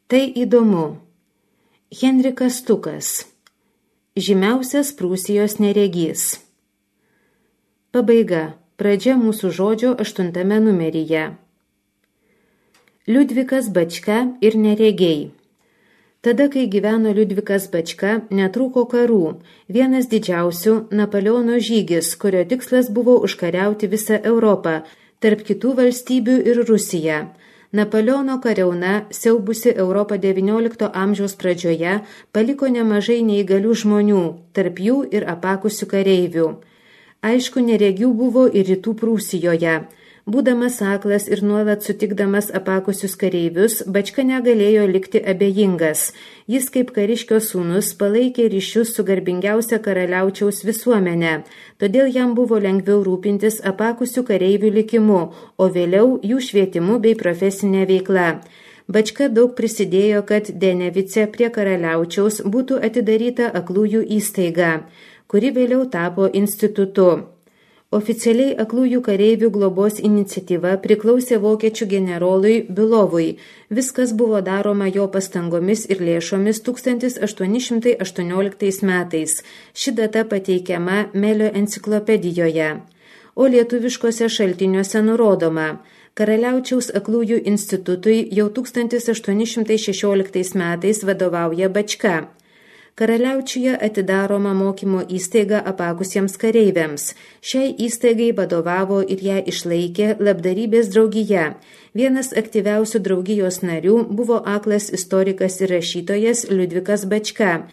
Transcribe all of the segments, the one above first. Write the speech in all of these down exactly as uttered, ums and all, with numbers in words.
Tai įdomu. Henrikas Stukas. Žymiausias Prūsijos neregys. Pabaiga. Pradžia mūsų žodžio aštuntame numeryje. Liudvikas Bačka ir neregiai. Tada, kai gyveno Liudvikas Bačka, netrūko karų. Vienas didžiausių Napoleono žygis, kurio tikslas buvo užkariauti visą Europą, tarp kitų valstybių ir Rusiją. Napoleono kariauna, siaubusi Europą devyniolikto amžiaus pradžioje, paliko nemažai neįgalių žmonių, tarp jų ir apakusių kareivių. Aišku, neregių buvo ir rytų Prūsijoje. Būdamas aklas ir nuolat sutikdamas apakusius kareivius, Bačka negalėjo likti abejingas. Jis kaip kariškio sūnus palaikė ryšius su garbingiausia karaliaučiaus visuomenė, todėl jam buvo lengviau rūpintis apakusių kareivių likimu, o vėliau jų švietimu bei profesinė veikla. Bačka daug prisidėjo, kad Denevice prie karaliaučiaus būtų atidaryta aklųjų įstaiga, kuri vėliau tapo institutu. Oficialiai aklųjų kareivių globos iniciatyva priklausė vokiečių generolui Bilovui. Viskas buvo daroma jo pastangomis ir lėšomis tūkstantis aštuoni šimtai aštuonioliktais metais. Ši data pateikiama Melio enciklopedijoje. O lietuviškose šaltiniuose nurodoma: Karaliaučiaus aklųjų institutui jau tūkstantis aštuoni šimtai šešioliktais metais vadovauja Bačka. Karaliaučiuje atidaroma mokymo įstaiga apakusiems kareiviams. Šiai įstaigai vadovavo ir ją išlaikė labdarybės draugija. Vienas aktyviausių draugijos narių buvo aklas istorikas ir rašytojas Liudvikas Bačka.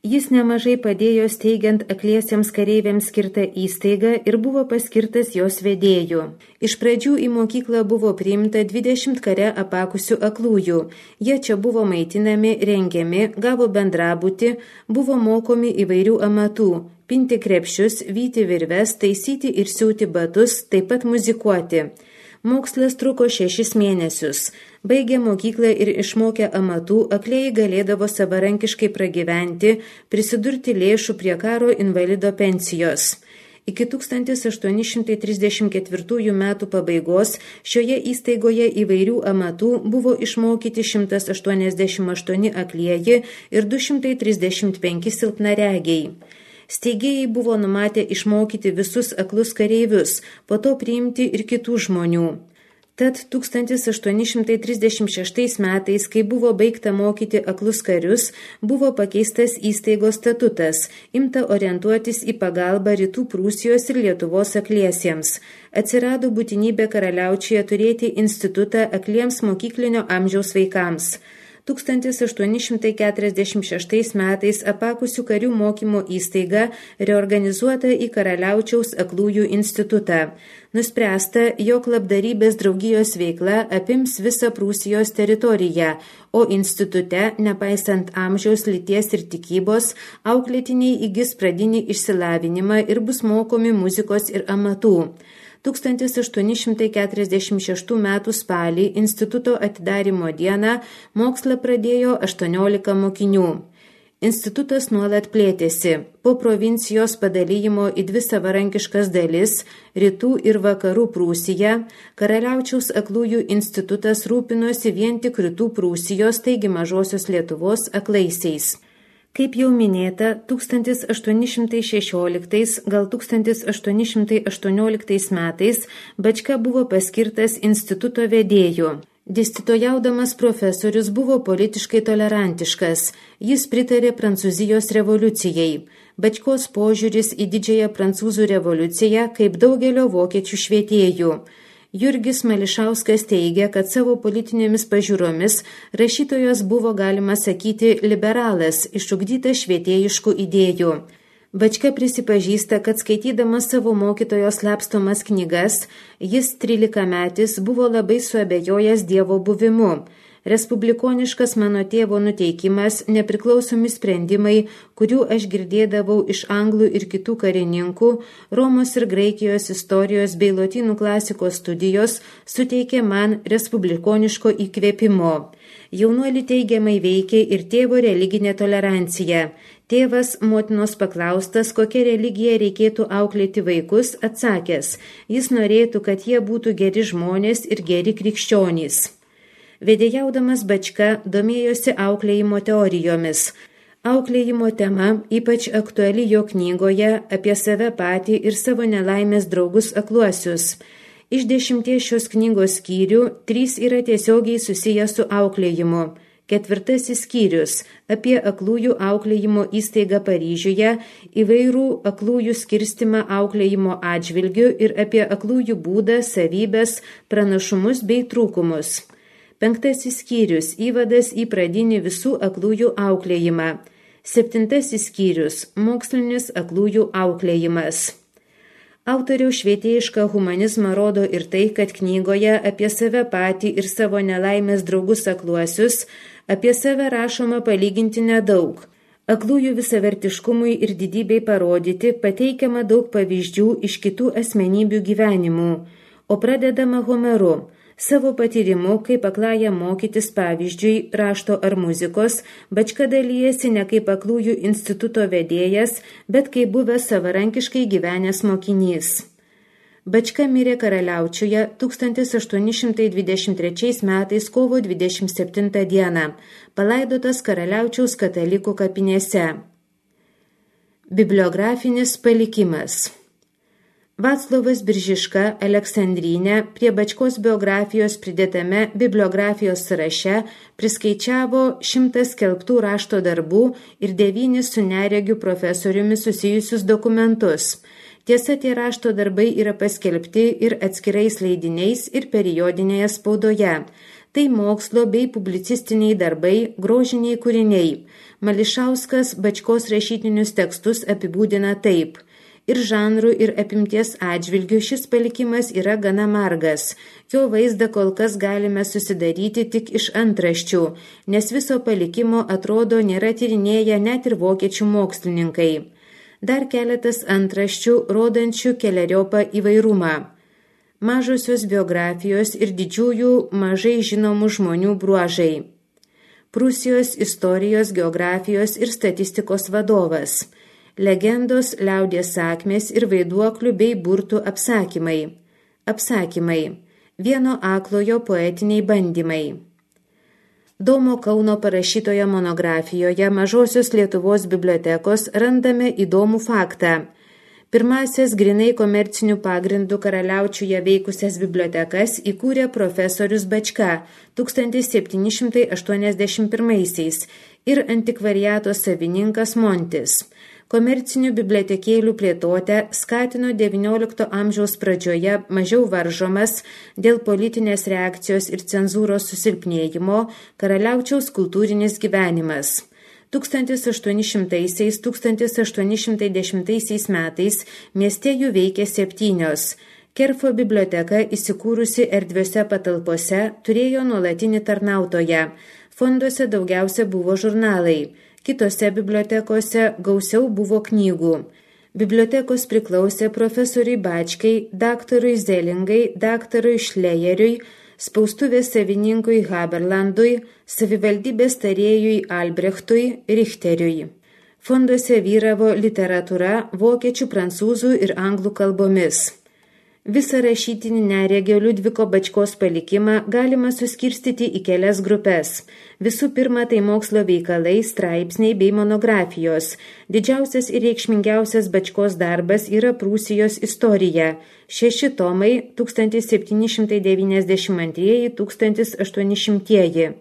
Jis nemažai padėjo steigiant akliesiems kareiviams skirtą įstaigą ir buvo paskirtas jos vedėju. Iš pradžių į mokyklą buvo priimta dvidešimt kare apakusių aklųjų. Jie čia buvo maitinami, rengiami, gavo bendrabutį, buvo mokomi įvairių amatų – pinti krepšius, vyti virves, taisyti ir siūti batus, taip pat muzikuoti. Mokslas truko šešis mėnesius. Baigę mokyklą ir išmokę amatų, aklieji galėdavo savarankiškai pragyventi, prisidurti lėšų prie karo invalido pensijos. Iki tūkstantis aštuoni šimtai trisdešimt ketvirtųjų metų pabaigos šioje įstaigoje įvairių amatų buvo išmokyti šimtas aštuoniasdešimt aštuoni aklieji ir du šimtai trisdešimt penki silpnaregiai. Steigėjai buvo numatę išmokyti visus aklus kareivius, po to priimti ir kitų žmonių. Tad tūkstantis aštuoni šimtai trisdešimt šeštais metais, kai buvo baigta mokyti aklus karius, buvo pakeistas įstaigos statutas, imta orientuotis į pagalbą rytų Prūsijos ir Lietuvos akliesiems. Atsirado būtinybė karaliaučiuje turėti institutą akliems mokyklinio amžiaus vaikams. tūkstantis aštuoni šimtai keturiasdešimt šeštais metais apakusių karių mokymo įstaiga reorganizuota į Karaliaučiaus aklųjų institutą. Nuspręsta, jog labdarybės draugijos veikla apims visą Prūsijos teritoriją, o institute, nepaisant amžiaus, lyties ir tikybos, auklėtiniai įgis pradinį išsilavinimą ir bus mokomi muzikos ir amatų. tūkstantis aštuoni šimtai keturiasdešimt šeštų metų spalį instituto atidarymo dieną mokslą pradėjo aštuoniolika mokinių. Institutas nuolat plėtėsi. Po provincijos padalijimo į dvi savarankiškas dalis – rytų ir vakarų Prūsija, Karaliaučiaus aklųjų institutas rūpinosi vien tik rytų Prūsijos, taigi mažosios Lietuvos aklaisiais. Kaip jau minėta, tūkstantis aštuoni šimtai šešioliktais, gal tūkstantis aštuoni šimtai aštuonioliktais metais Bačka buvo paskirtas instituto vedėju. Dėstytojaudamas profesorius buvo politiškai tolerantiškas. Jis pritarė Prancūzijos revoliucijai. Bačkos požiūris į didžiąją prancūzų revoliuciją kaip daugelio vokiečių švietėjų. Jurgis Mališauskas teigia, kad savo politinėmis pažiūromis rašytojas buvo, galima sakyti, liberalas, išugdytas švietėjiškų idėjų. Bačka prisipažįsta, kad skaitydamas savo mokytojo slapstomas knygas, jis trylikametis buvo labai suabejojęs Dievo buvimu. Respublikoniškas mano tėvo nuteikimas, nepriklausomi sprendimai, kurių aš girdėdavau iš anglų ir kitų karininkų, Romos ir Graikijos istorijos bei lotynų klasikos studijos suteikė man respublikoniško įkvėpimo. Jaunuolį teigiamai veikė ir tėvo religinė tolerancija. Tėvas motinos paklaustas, kokią religiją reikėtų auklėti vaikus, atsakęs, jis norėtų, kad jie būtų geri žmonės ir geri krikščionys. Vedėjaudamas Bačka domėjosi auklėjimo teorijomis. Auklėjimo tema ypač aktuali jo knygoje apie save patį ir savo nelaimės draugus akluosius. Iš dešimties šios knygos skyrių trys yra tiesiogiai susiję su auklėjimu. Ketvirtasis skyrius apie aklųjų auklėjimo įstaigą Paryžiuje, įvairų aklųjų skirstimą auklėjimo atžvilgių ir apie aklųjų būdą, savybės, pranašumus bei trūkumus. Penktasis skyrius įvadas į pradinį visų aklųjų auklėjimą. Septintasis skyrius mokslinis aklųjų auklėjimas. Autoriaus švietėjišką humanizmą rodo ir tai, kad knygoje apie save patį ir savo nelaimės draugus akluosius apie save rašoma palyginti nedaug. Aklųjų visavertiškumui ir didybei parodyti pateikiama daug pavyzdžių iš kitų asmenybių gyvenimų, o pradedama Homeru. Savo patyrimu, kaip akląją mokytis pavyzdžiui rašto ar muzikos, Bačka dalyjasi ne kaip aklųjų instituto vedėjas, bet kaip buvęs savarankiškai gyvenęs mokinys. Bačka mirė Karaliaučiuje tūkstantis aštuoni šimtai dvidešimt trečiais metais kovo dvidešimt septintą dieną, palaidotas Karaliaučiaus katalikų kapinėse. Bibliografinis palikimas. Vaclovas Biržiška Aleksandrinė prie Bačkos biografijos pridėtame bibliografijos sąraše priskaičiavo šimtą skelbtų rašto darbų ir devynis su neregiu profesoriumi susijusius dokumentus. Tiesa, tie rašto darbai yra paskelbti ir atskirais leidiniais ir periodinėje spaudoje. Tai mokslo bei publicistiniai darbai, grožiniai kūriniai. Mališauskas Bačkos rašytinius tekstus apibūdina taip. Ir žanrų ir apimties atžvilgių šis palikimas yra gana margas. Jo vaizdą kol kas galime susidaryti tik iš antraščių, nes viso palikimo atrodo nėra tyrinėję net ir vokiečių mokslininkai. Dar keletas antraščių, rodančių keleriopą įvairumą. Mažosios biografijos ir didžiųjų mažai žinomų žmonių bruožai. Prūsijos istorijos, geografijos ir statistikos vadovas. Legendos, liaudies sakmės ir vaiduoklių bei burtų apsakymai. Apsakymai. Vieno aklojo poetiniai bandymai. Domo Kauno parašytoje monografijoje Mažosios Lietuvos bibliotekos randame įdomų faktą. Pirmasias grinai komercinių pagrindų Karaliaučiuje veikusias bibliotekas įkūrė profesorius Bačka tūkstantis septyni šimtai aštuoniasdešimt pirmaisiais ir antikvariato savininkas Montis. Komercinių bibliotekėlių plėtotę skatino devyniolikto amžiaus pradžioje mažiau varžomas dėl politinės reakcijos ir cenzūros susilpnėjimo Karaliaučiaus kultūrinis gyvenimas. tūkstantis aštuoni šimtaisiais - tūkstantis aštuoni šimtai dešimtaisiais metais mieste jų veikė septynios. Kerfo biblioteka įsikūrusi erdviose patalpose turėjo nuolatinį tarnautoją. Fonduose daugiausia buvo žurnalai. Kitose bibliotekose gausiau buvo knygų. Bibliotekos priklausė profesoriui Bačkai, daktarui Zelingai, daktarui Šlejeriui, spaustuvės savininkui Haberlandui, savivaldybės tarėjui Albrechtui, Richteriui. Fonduose vyravo literatūra vokiečių, prancūzų ir anglų kalbomis. Visą rašytinį neregio Liudviko Bačkos palikimą galima suskirstyti į kelias grupės. Visų pirma, tai mokslo veikalai, straipsniai bei monografijos. Didžiausias ir reikšmingiausias Bačkos darbas yra Prūsijos istorija. Šeši tomai tūkstantis septyni šimtai devyniasdešimt antrieji - tūkstantis aštuoni šimtieji.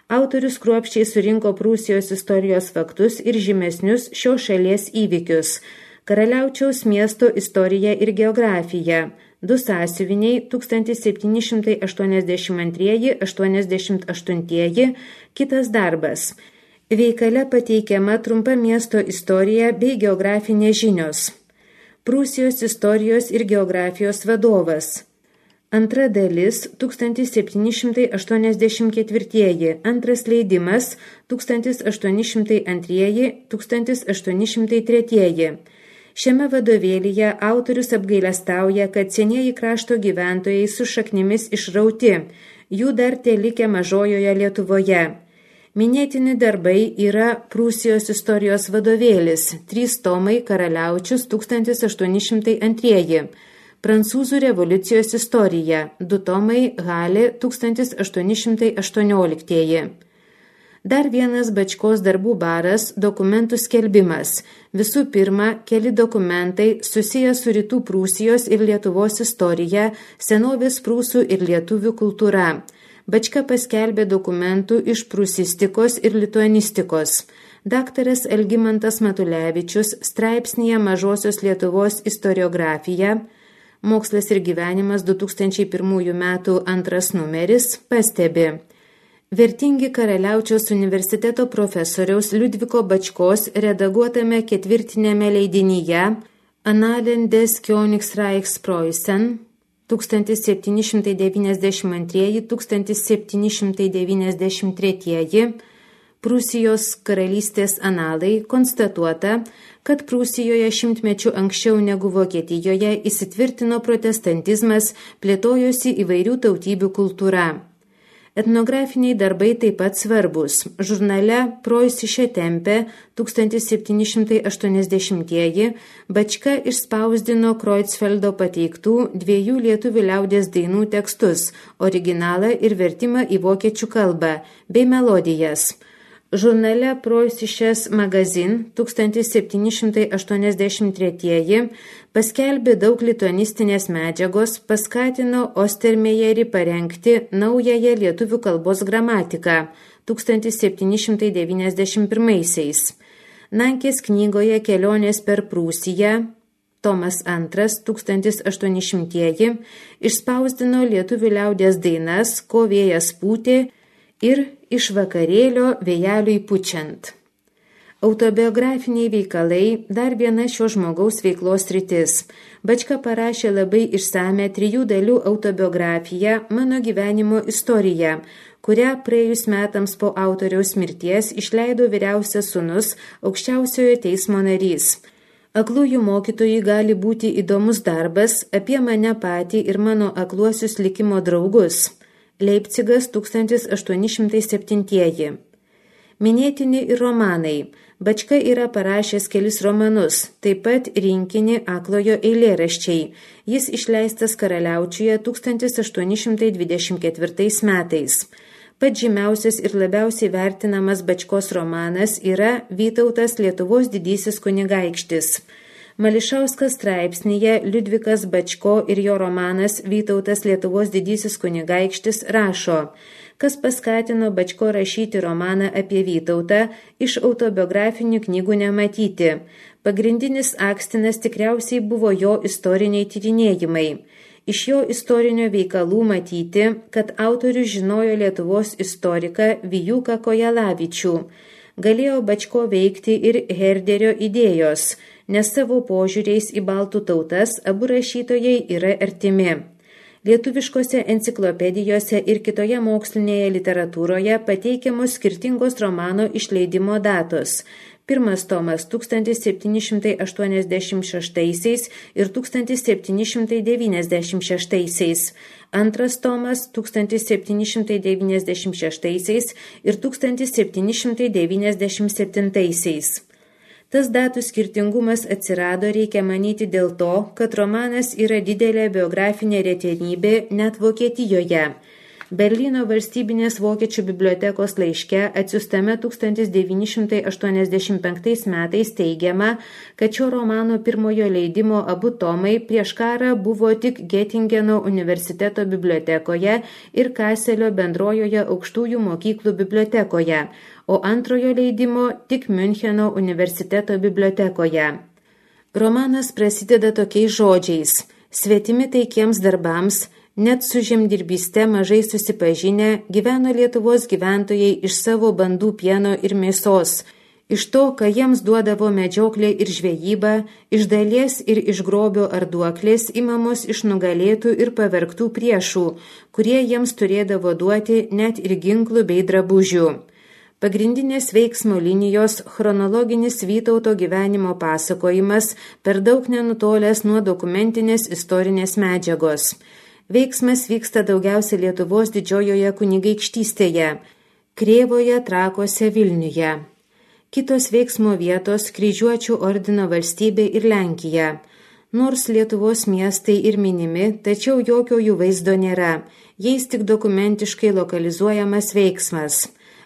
Autorius kruopščiai surinko Prūsijos istorijos faktus ir žymesnius šios šalies įvykius. Karaliaučiaus miesto istorija ir geografija. Du sąsiuviniai tūkstantis septyni šimtai aštuoniasdešimt antrieji - aštuoniasdešimt aštuntieji, kitas darbas. Veikale pateikiama trumpa miesto istorija bei geografinės žinios. Prūsijos istorijos ir geografijos vadovas. Antra dalis tūkstantis septyni šimtai aštuoniasdešimt ketvirtieji, antras leidimas tūkstantis aštuoni šimtai antrieji - tūkstantis aštuoni šimtai tretieji. Šiame vadovėlyje autorius apgailestauja, kad senieji krašto gyventojai su šaknimis išrauti, jų dar telikę mažojoje Lietuvoje. Minėtini darbai yra Prūsijos istorijos vadovėlis, trys tomai Karaliaučius tūkstantis aštuoni šimtai antrieji, Prancūzų revoliucijos istorija, du tomai, Halė, tūkstantis aštuoni šimtai aštuonioliktieji. Dar vienas Bačkos darbų baras – dokumentų skelbimas. Visų pirma, keli dokumentai susiję su Rytų Prūsijos ir Lietuvos istorija, senovės prūsų ir lietuvių kultūra. Bačka paskelbė dokumentų iš prūsistikos ir lituanistikos. Daktaras Algimantas Matulevičius straipsnyje Mažosios Lietuvos istoriografija, Mokslas ir gyvenimas du tūkstančiai pirmųjų metų antras numeris, pastebi. Vertingi Karaliaučiaus universiteto profesoriaus Liudviko Bačkos redaguotame ketvirtinėme leidinyje Annalen des Königsreichspreußen tūkstantis septyni šimtai devyniasdešimt antri - tūkstantis septyni šimtai devyniasdešimt treti Prūsijos karalystės analai konstatuota, kad Prūsijoje šimtmečių anksčiau negu Vokietijoje įsitvirtino protestantizmas, plėtojosi įvairių tautybių kultūra. Etnografiniai darbai taip pat svarbus. Žurnale Preußische Tempe tūkstantis septyni šimtai aštuoniasdešimtieji Bačka išspausdino Kreutzfeldo pateiktų dviejų lietuvių liaudies dainų tekstus, originalą ir vertimą į vokiečių kalbą, bei melodijas. Žurnale Preußisches Magazin tūkstantis septyni šimtai aštuoniasdešimt tretieji paskelbė daug lituanistinės medžiagos, paskatino Ostermejerį parengti naująją lietuvių kalbos gramatiką tūkstantis septyni šimtai devyniasdešimt pirmaisiais. Nankės knygoje Kelionės per Prūsiją Tomas antras tūkstantis aštuoni šimtieji išspausdino lietuvių liaudies dainas Ko vėjas pūtė ir Iš vakarėlio vėjeliui pučiant. Autobiografiniai veikalai dar viena šio žmogaus veiklos sritis. Bačka parašė labai išsame trijų dalių autobiografiją Mano gyvenimo istorija, kurią praėjus metams po autoriaus mirties išleido vyriausias sūnus, aukščiausiojo teismo narys. Aklųjų mokytojui gali būti įdomus darbas apie mane patį ir mano akluosius likimo draugus. Leipcigas tūkstantis aštuoni šimtai septintieji. Minėtini ir romanai. Bačka yra parašęs kelis romanus, taip pat rinkinį Aklojo eilėraščiai. Jis išleistas Karaliaučiuje tūkstantis aštuoni šimtai dvidešimt ketvirtais metais. Pats žymiausias ir labiausiai vertinamas Bačkos romanas yra Vytautas Lietuvos didysis kunigaikštis. Mališauskas straipsnyje Liudvikas Bačko ir jo romanas Vytautas Lietuvos didysis kunigaikštis rašo, kas paskatino Bačko rašyti romaną apie Vytautą, iš autobiografinių knygų nematyti. Pagrindinis akstinas tikriausiai buvo jo istoriniai tyrinėjimai. Iš jo istorinio veikalų matyti, kad autorius žinojo Lietuvos istoriką Vijūką Kojalavičių. Galėjo Bačko veikti ir Herderio idėjos, nes savo požiūriais į baltų tautas abu rašytojai yra artimi. Lietuviškose enciklopedijose ir kitoje mokslinėje literatūroje pateikiamos skirtingos romano išleidimo datos. Pirmas tomas tūkstantis septyni šimtai aštuoniasdešimt šeštaisiais ir tūkstantis septyni šimtai devyniasdešimt šeštaisiais. Antras tomas tūkstantis septyni šimtai devyniasdešimt šeštaisiais ir tūkstantis septyni šimtai devyniasdešimt septintaisiais. Tas datų skirtingumas atsirado, reikia manyti, dėl to, kad romanas yra didelė biografinė retenybė net Vokietijoje. Berlyno valstybinės vokiečių bibliotekos laiške atsiųstame tūkstantis devyni šimtai aštuoniasdešimt penktais metais teigiama, kad šio romano pirmojo leidimo abu tomai prieš karą buvo tik Getingeno universiteto bibliotekoje ir Kaselio bendrojoje aukštųjų mokyklų bibliotekoje, o antrojo leidimo tik Miuncheno universiteto bibliotekoje. Romanas prasideda tokiais žodžiais: svetimi taikiems darbams, net su žemdirbyste mažai susipažinę, gyveno Lietuvos gyventojai iš savo bandų pieno ir mėsos, iš to, ką jiems duodavo medžioklė ir žvejyba, iš dalies ir iš grobio ar duoklės imamos iš nugalėtų ir pavergtų priešų, kurie jiems turėdavo duoti net ir ginklų bei drabužių. Pagrindinės veiksmo linijos chronologinis Vytauto gyvenimo pasakojimas per daug nenutolęs nuo dokumentinės istorinės medžiagos. Veiksmas vyksta daugiausia Lietuvos didžiojoje kunigaikštystėje, Krėvoje, Trakuose, Vilniuje. Kitos veiksmo vietos Kryžiuočių ordino valstybė ir Lenkija. Nors Lietuvos miestai ir minimi, tačiau jokio jų vaizdo nėra, jais tik dokumentiškai lokalizuojamas veiksmas.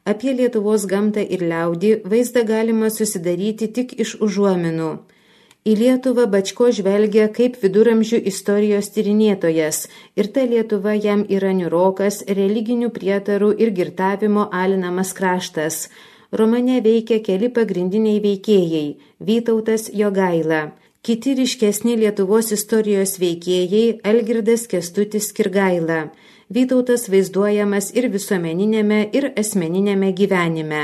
Apie Lietuvos gamtą ir liaudį vaizdą galima susidaryti tik iš užuominų. Į Lietuvą Bačko žvelgia kaip viduramžių istorijos tyrinėtojas ir ta Lietuva jam yra niūrokas, religinių prietarų ir girtavimo alinamas kraštas. Romane veikia keli pagrindiniai veikėjai – Vytautas Jogaila. Kiti ryškesni Lietuvos istorijos veikėjai – Algirdas Kęstutis Kirgaila. Vytautas vaizduojamas ir visuomeninėme, ir asmeninėme gyvenime.